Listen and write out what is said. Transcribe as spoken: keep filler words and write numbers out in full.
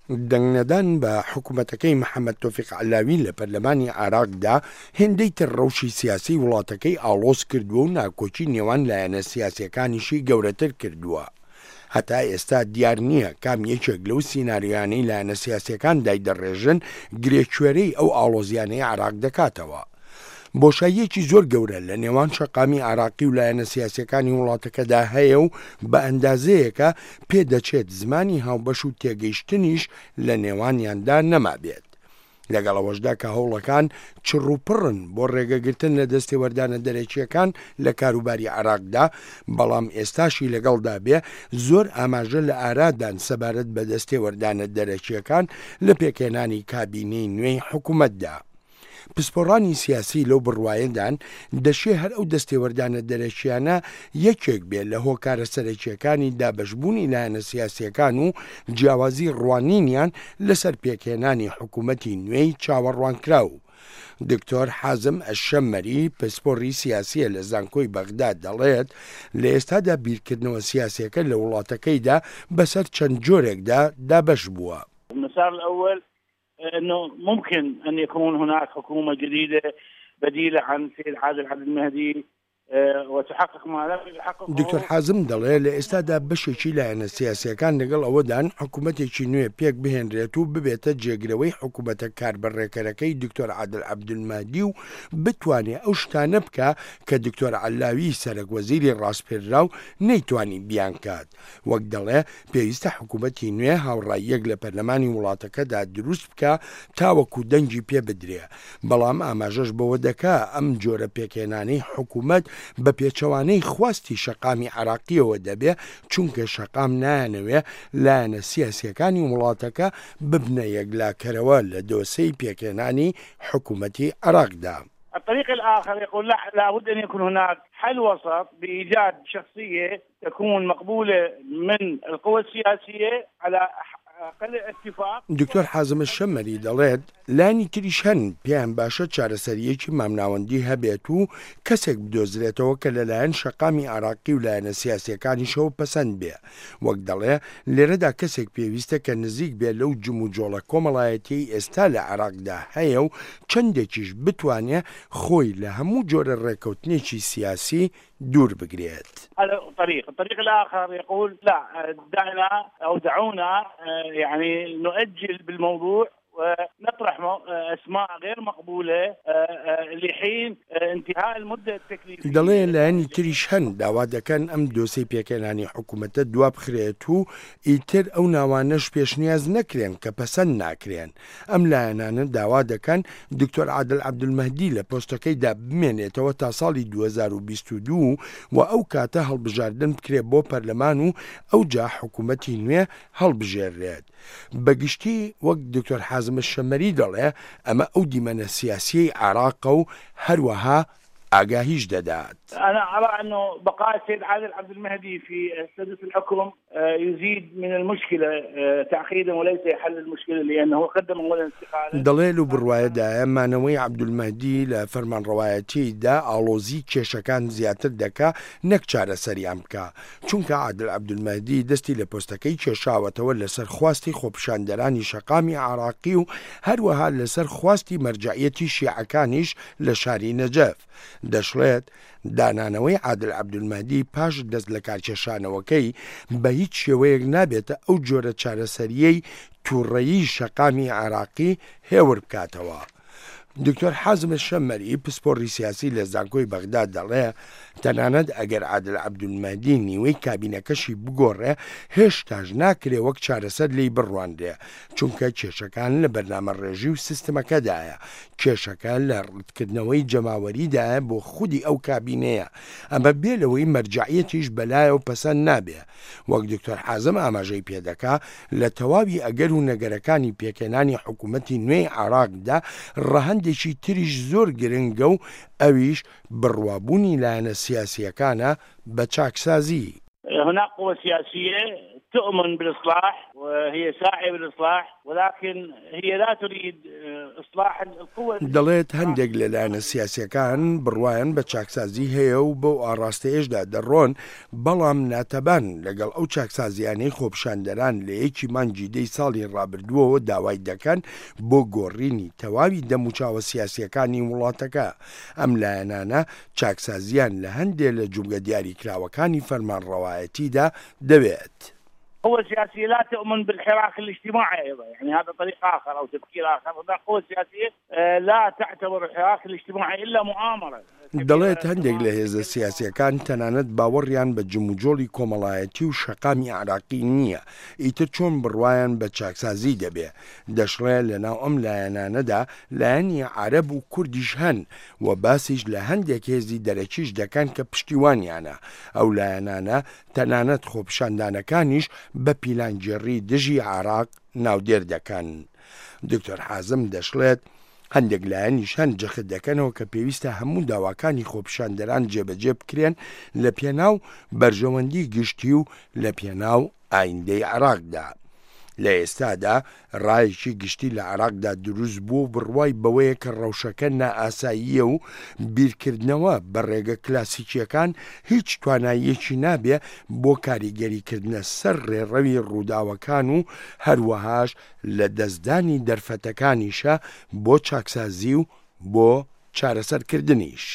دەنگنەدان بە حکومەتەکەی محەمەد تۆفیق عەلاوی لە پەرلەمانی عێراقدا هێندەی تر ڕەوشی سیاسیی وڵاتەکەی ئاڵۆز کردووە و ناکۆکی نێوان لایەنە سیاسییەکانیشی گەورەتر کردووە. هەتا ئێستا دیار نییە کام یەکێک لەو سیناریۆیانەی لایەنە سیاسییەکان دایدەڕێژن گرێکوێرەی ئەو ئاڵۆزییانەی عێراق دەکاتەوە. بۆشاییەکی زۆر گەورە لە نێوان شەقامی عێراقی و لایەنە سیاسییەکانی وڵاتەکەدا هەیە و بە ئەندازەیەکە پێدەچێت زمانی هاوبەش و تێگەیشتنیش لە نێوانیاندا نەمابێت. لەگەڵ ئەوەشدا کە هەوڵەکان چڕوپڕن بۆ ڕێگەگرتن لە دەستێوەردانە دەرەکییەکان لە کاروباری عێراقدا، بەڵام ئێستاشی لەگەڵدا بێ زۆر ئاماژە لە ئارادان سەبارەت بە دەستێوەردانە دەرەکییەکان لە پێکهێنانی کابینەی نوێی حکومەتدا. پسپۆڕانی سیاسی لەو بڕوایەدان دەشێ هەر ئەو دەستێوەردانە دەرەکییانە یەکێک بێ لە هۆکارە سەرەکییەکانی دابەشبوونی لایەنە سیاسییەکان و جیاوازی ڕوانینیان لەسەر پێکهێنانی حکوومەتی نوێی چاوەڕوانکراو. دکتۆر حازم ئەلشەممەری پسپۆڕی سیاسییە لە زانکۆی بەغدا دەڵێت، لە ئێستادا بیرکردنەوە سیاسییەکە لە وڵاتەکەیدا بەسەر چەند جۆرێکدا دابەش بووە. المسار الأول انه ممكن ان يكون هناك حكومه جديده بديله عن سيد عادل عبد المهدي وتحقق ما لم يحققه. دکتۆر حازم دەڵێ لە ئێستادا بەشێکی لایەنە سیاسییەکان لەگەڵ ئەوەدان حکوومەتێکی نوێ پێک بهێنرێت و ببێتە جێگرەوەی حکوومەتە کاربەڕێکەرەکەی دکتۆر عادل عەبدولمەهدی و بتوانێ ئەو شتانە بکا کە دکتۆر عەلاوی سەرەک وەزیری ڕاسپێردراو نەیتوانی بیانکات. وەک دەڵێ پێویستە حکوومەتی نوێ هاوڕاییەک لە پەرلەمانی وڵاتەکەدا دروست بکا تاوەکو دەنگی پێ بدرێ، بەڵام ئاماژەش بەوە دەکا ئەم جۆرە پێکهێنانەی حکوومەت بە پێچەوانەی خواستی شەقامی عێراقییەوە دەبێ، چونکە شەقام نایانەوێ لایەنە سیاسییەکانی وڵاتەکە ببنە یەکلاکەرەوە لە دۆسێی پێکهێنانی حکوومەتی عێراقدا. الطريق الآخر يقول لا لابد أن يكون هناك حل وسط بإيجاد شخصية تكون مقبولة من القوى السياسية على أقل اتفاق. دکتۆر حازم الشەمەری دەڵێت، لایەنی تریش هەن پێیان باشە چارەسەرییەکی مامناوەندی هەبێت و کەسێک بدۆزرێتەوە کە لەلایەن شەقامی عێراقی و لایەنە سیاسییەکانیشەوە پەسەند بێ. وەک دەڵێ لێرەدا کەسێک پێویستە کە نزیک بێ لەو جموجۆڵە کۆمەڵایەتیەی ئێستا لە عێراقدا هەیە و چەندێکیش بتوانێ خۆی لە هەموو جۆرە ڕێککەوتنێکی سیاسی دوور بگرێت. هذا طريق. الطريق الآخر يقول لا دعنا أو دعونا يعني نؤجل بالموضوع ونطرح أسماء غير مقبولة لحين انتهاء المدة التكليفية. دەڵێ لایەنی تریش هەن داوا دەکەن ئەم دۆسەی پێکهێنانی حکوومەتە دوا بخرێت و ئیتر ئەو ناوانەش پێشنیاز نەکرێن کە پەسەند ناکرێن. ئەم لایەنانە داوا دەکەن دکتۆر عادل عەبدولمەهدی لە پۆستەکەیدا بمێنێتەوە تا ساڵی دوو هەزار و بیست و دوو و ئەو کاتە هەڵبژاردن بکرێت بۆ پەرلەمان و ئەوجا حکوومەتی نوێ هەڵبژێرێت. بەگشتی وەک دکتۆر حازم الشەمەری دەڵێ ئەمە ئەو دیمەنە سیاسیەی عێراقە و هەروەها ئاگاهیش دەدات. أنا أرى أنه بقاء السيد عادل عبد المهدي في سدة الحكم يزيد من المشكلة تعقيدا وليس حل المشكلة لأنه قدم أولا استقالة. دەڵێ لەو بڕوایەدایە مانەوەی عەبدولمەهدی لە فەرمانڕەوایەتیدا ئاڵۆزی کێشەکان زیاتر دەکا نەک چارەسەریان بکا، چونکە عادل عەبدولمەهدی دەستی لە پۆستەکەی کێشاوەتەوە لەسەر خواستی خۆپیشاندەرانی شەقامی عێراقی و هەروەها لەسەر خواستی مەرجەعیەتی شیعەکانیش لە شاری نەجەف. دەشڵێت دانانەوەی عادل عەبدولمەهدی پاش دەست لە کارکێشانەوەکەی بە هیچ شێوەیەک نابێتە ئەو جۆرە چارەسەریەی تووڕەیی شەقامی عێراقی هێور بکاتەوە. دکتۆر حازم الشەمەری پسپۆڕی سیاسی لە زانکۆی بەغدا دەڵێ تەنانەت ئەگەر عادل عەبدولمەهدی نیوەی کابینەکەشی بگۆڕێ هێشتاش ناکرێ وەک چارەسەر لێی بڕوانرێ، چونکە کێشەکان لە بەرنامە ڕێژی و سیستمەکەدایە، کێشەکە لە ڕەتکردنەوەی جەماوەریدایە بۆ خودی ئەو کابینەیە، ئەمە بێ لەوەی مەرجەعیەتیش بەلایەوە پەسەند نابێ. وەک دکتۆر حازم ئاماژەی پێدەکا لە تەواوی ئەگەر و نەگەرەکانی پێکهێنانی حکوومەتی نوێی عێراقدا ڕەهەندێکی تریش زۆر گرنگە و ئەویش بڕوابوونی لایەنە سیاسیەکانە بە چاکسازی. هناك قوى سياسية تؤمن بالإصلاح وهي ساعية بالإصلاح، ولكن هي لا تريد إصلاح القوى. دەڵێت هەندێک لە لایەنە سیاسیەکان بڕوایان بە چاکسازی هەیە و بەو ئاڕاستەیەشدا دەڕۆن، بەڵام ناتەبان لەگەڵ ئەو چاکسازیانەی خۆپیشاندەران لە یەکی مانگی دەی ساڵی ڕابردووەوە داوای دەکەن بۆ گۆڕینی تەواوی دەموچاوە سیاسیەکانی وڵاتەکە. ئەم لایەنانە چاکسازیان لە هەندێک لە جومگە دیاریکراوەکانی فەرمانڕەوایەتیدا دەوێت. قوى سياسية لا تؤمن بالحراك الاجتماعي أيضا، يعني هذا طريق آخر أو تفكير آخر. هناك قوى سياسية لا تعتبر الحراك الاجتماعي إلا مؤامرة. دەڵێت هەندێک لە هێزە سیاسیەکان تەنانەت باوەڕیان بە جموجۆڵی کۆمەڵایەتی و شەقامی عراقی نییە، ئیتر چۆن بڕوایان بە چاکسازی دەبێ. دەشڵێ لەناو ئەم لایەنانەدا لایەنی عەرەب و کوردیش هەن و باسیش لە هەندێک هێزی دەرەکیش دەکەن کە پشتیوانیانە. ئەو لایەنانە تەنانەت خۆپیشاندانەکانیش بە پیلانگێڕی دژی عراق ناودێر دەکەن. دکتۆر حازم دەشڵێت هەندێک لایەنیش هەن جەخت دەکەنەوە کە پێویستە هەموو داواکانی خۆپیشاندەران جێبەجێ بکرێن لە پێناو بەرژەوەندی گشتی و لە پێناو ئایندەی عراقدا. لە ئێستادا ڕایەکی گشتی لە عراقدا دروست بوو و بڕوای بەوەیە کە ڕەوشەکە نائاساییە و بیرکردنەوە بە ڕێگە کلاسیکیەکان هیچ تواناییەکی نابێ بۆ کاریگەریکردنە سەر ڕێڕەوی ڕووداوەکان و هەروەهاش لە دەستدانی دەرفەتەکانیشە بۆ چاکسازی و بۆ چارەسەرکردنیش.